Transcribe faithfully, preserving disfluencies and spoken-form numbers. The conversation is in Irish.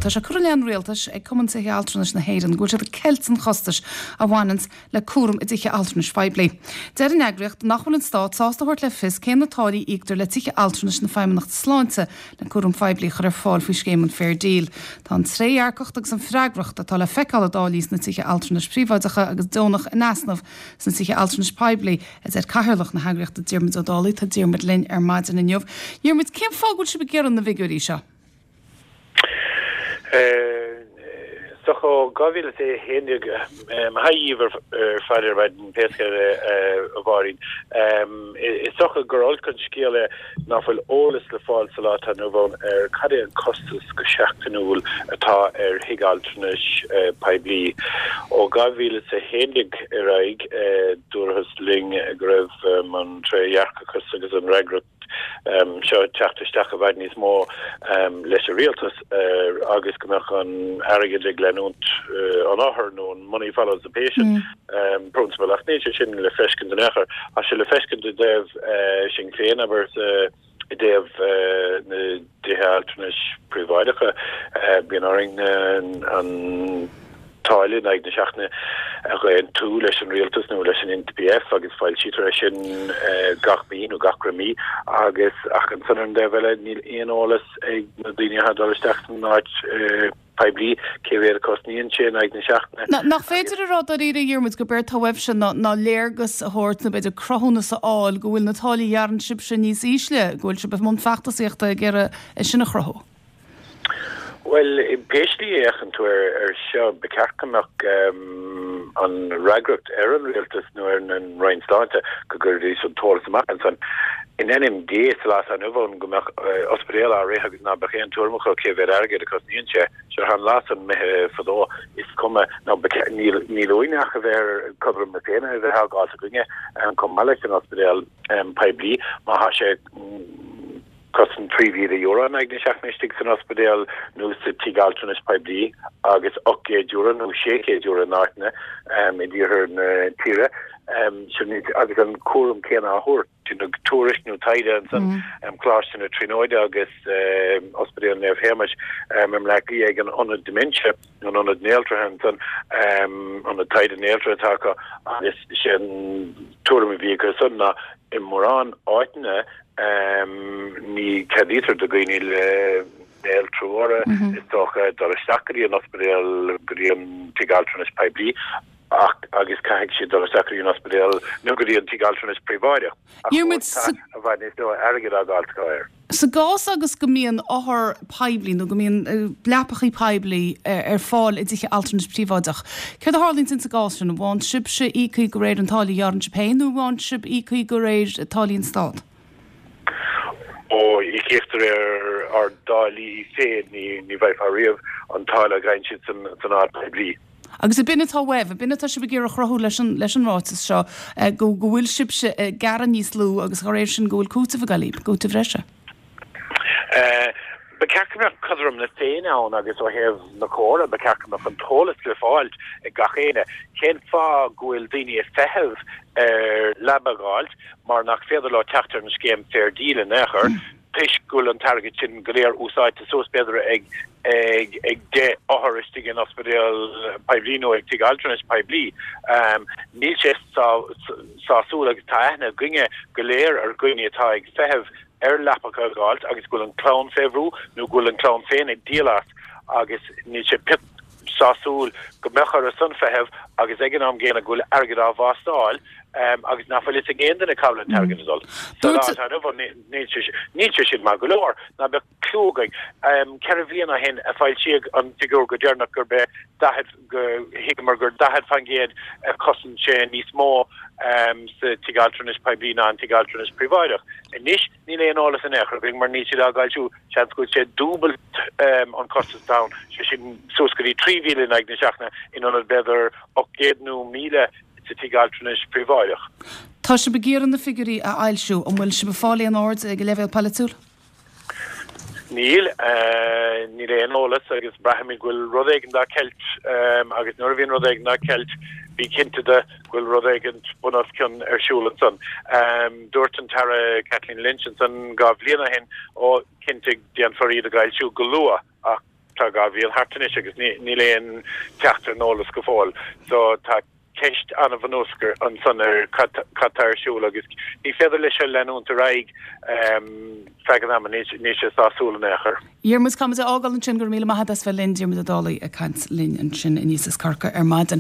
Tá sé curtha i leith an rialtais ag Cumann Tithe Altranais na hÉireann go bhfuil siad ag ceilt an chostais a bhaineanns le cúram i dtithe altranais phoiblí. Deir an eagraíocht nach bhfuil an stát sásta a thabhairt le fios cé na táillí a íoctar le tithe altranais na Feidhmeannachta Sláinte le cúram poiblí a chur ar fáil faoi scéim an Fair Deal. Tá an trédhearcacht agus an fhreagracht atá le feiceáil i dtáillí sna tithe altranais príobháideacha agus deonach in easnamh sna tithe altranais poiblí, a deir cathaoirleach na heagraíochta Diarmuid Ó Dálaigh. Tá Diarmuid linn ar maidin inniu. Diarmuid, cén fáth go bhfuil sibh ag iarraidh na bhfigiúirí seo? So ó dhá mhíle is a haon déag, maith dhíbh ar fad ar maidin pé scéal é, a Mháirín. Is dócha gur olc an scéal é ná fuil eolas le fáil sa lá atá inniu ann ar cad é an costas go seachtainiúil atá ar thigh altranais poiblí. Ó dhá mhíle is a haon déag ar aghaidh, dúrathas linn go raibh an trédhearcachas agus an fhreagracht seo ag teacht isteach i bhfad níos mó leis an rialtas agus go mbeadh an airgead ag leanúint an othair nó an money follows the patient principle. Ach níl sé sin le feiscint in aon chor. Tá sé le feiscint i dtaobh sinn féin, abair, i dtaobh na dtithe altranais príobháideacha. Bíonn orainn an táille in aghaidh na seachtaine a dh'aontú leis an rialtas nó leis an N P F agus foilsítear é sin gach mí nó gach re mí agus ach ansan ar an dtaobh eile níl aon eolas ag na daoine atá ag dul isteach san áit poiblí cé mhéad a cosnaíonn sé in aghaidh na seachtaine. Nach féidir a rá dáiríre, a Dhiarmuid, gurb éard atá uaibhse ná ná léargas a thabhairt nó b'fhéidir cruthúnas a fháil go bhfuil na táillí a ghearrann sibhse níos ísle, go bhfuil sibh i mbun feachtasaíochta ag iarraidh é sin a chruthú? Bhuel, pé slí a fhéachann tú ar ar seo, ba cheart go mbeadh an fhreagracht ar an rialtas nó ar an Roinn Sláinte go gcuirfidís an t-eolas amach ansan. In ainm Dé, sa lá atá inniu ann go mbeadh ospidéal á rith agus ná beadh aon tuairim acu cé mhéad airgead a cosnaíonn sé. Seo an lá san imithe fadó, is cuma, nó níl níl uainn ach a bheith ar cothrom na Féinne a bheith á gcás againne chomh maith leis an ospidéal poiblí má thá sé cosaint trí mhíle euro in aghaidh na seachtaine istigh san ospidéal nó sa tigh altranais poiblí agus ocht gcéad euro nó sé chéad euro in áiteanna i dtíortha na tíre agus an cúram céanna á thabhairt. Tuairisc nó taighde ansan Coláiste na Tríonóide agus Ospidéal Naomh Shéamais i mBleá Cliath ag an Ionad Dementia, an Ionad Néaltraithe ansan, Ionad Taighde Néaltraithe atá acu agus sé an tuairim a bhí acu san ná i mórán áiteanna ní ceadaítear do dhaoine le néaltrú orthu, is dócha, dul isteach go dtí an ospidéal, go dtí an tigh altranais poiblí ach agus caithfidh siad dul isteach go dtí an ospidéal nó go dtí an tigh altranais príobháideach. Ach Diarmuid, fós tá i bhfad níos mó airgid á gcailt acu air. Sa gcás agus go mbíonn othair poiblí nó go mbíonn leapachaí poiblí ar fáil i dtithe altranais príobháideach, céard a tharlaíonn sa gcás sin? An bhfaigheann sibhse íocaí de réir an táille a ghearrann sibh féin nó an bhfaigheann sibh íocaí de réir táillí an Stát? Ó, íoctar ar ár dtáillí féin, ní ní bhfaighfeá riamh an táille a gheibheann siad san san áit poiblí. Agus ab in atá uaibh, ab in atá sibh ag iarraidh a chruthú leis an leis an ráiteas seo, go go bhfuil sibhse ag gearradh níos lú agus dá réir sin go bhfuil cúiteamh ag dul libh, cúiteamh breise. Ba cheart go mbeadh cothrom na Féinne ann agus ó thaobh na córa, ba cheart go mbeadh an t-eolas le fáilt ag gach éinne. Cén fáth go bhfuil daoine ag feitheamh ar leaba a dh'fháilt mar nach féidir leo teacht ar an scéim Fair Deal in aon chor toisc go bhfuil an t-airgead sin go léir úsáidte suas b'fhéidir ag ag ag deich othar istigh in ospidéal poiblí nó ag tigh altranais poiblí. Níl sé sásúil agus tá aithne againne go léir ar dhaoine atá ag feitheamh ar leapacha a dh'fháilt agus go bhfuil an clann fé bhrú nó go bhfuil an clann féin ag díol as agus níl sé pioc sásúil go mbeadh orthu san feitheamh agus ag an am gcéanna go bhfuil airgead á vástáil agus nach bhfuil fhios ag aon duine cá bhfuil an t-airgead ag dul. Sa lá atá inniu ann níl sé níl sé sin maith go leor. Ná beadh cliú againn. Ceithre bhliana ó shin a foilsíodh an figiúr go deireanach gurb é daichead go thuigeamar gur daichead faoin gcéad a chosain sé níos mó sa tigh altranais poiblí ná an tigh altranais príobháideach. Anois níl aon eolas in aon chor againn mar níl siad á bhfoilsiú, seans go bhfuil sé dúbailt an costas atá ann, sé sin suas go dtí trí mhíle in aghaidh na seachtaine in ionad b'fhéidir ocht gcéad nó míle sa tigh altranais príobháideach. Tá sibh ag iarraidh na figiúirí a fhoilsiú, an bhfuil sibh ag fáil aon aird ag an leibhéal polaitiúil? Níl. Níl aon eolas agus braithimid go bhfuil rud éigin dá ceilt agus nuair a bhíonn rud éigin dá ceilt bí cinnte de go bhfuil rud éigin bun os cionn ar siúl ansan. Dúirt an tAire Kathleen Lynch ansan dhá bhliain ó shin, ó, cinnte déanfar iad a fhoilsiú go luath ach tá dhá mhí thart anois agus níl aon teacht ar an eolas go fóill. So tá ceist an-bhunúsach ansan ar cad tá ar siúl agus ní féidir leis seo leanúint ar aghaidh feadh an ama níl sé sásúil in aon chor. Diarmuid, caithfidh muid a fhágáil ansin go raibh míle maith agat as bheith linn Diarmuid Ó Dálaigh ag caint linn ansin aníos as Corcaigh ar maidin.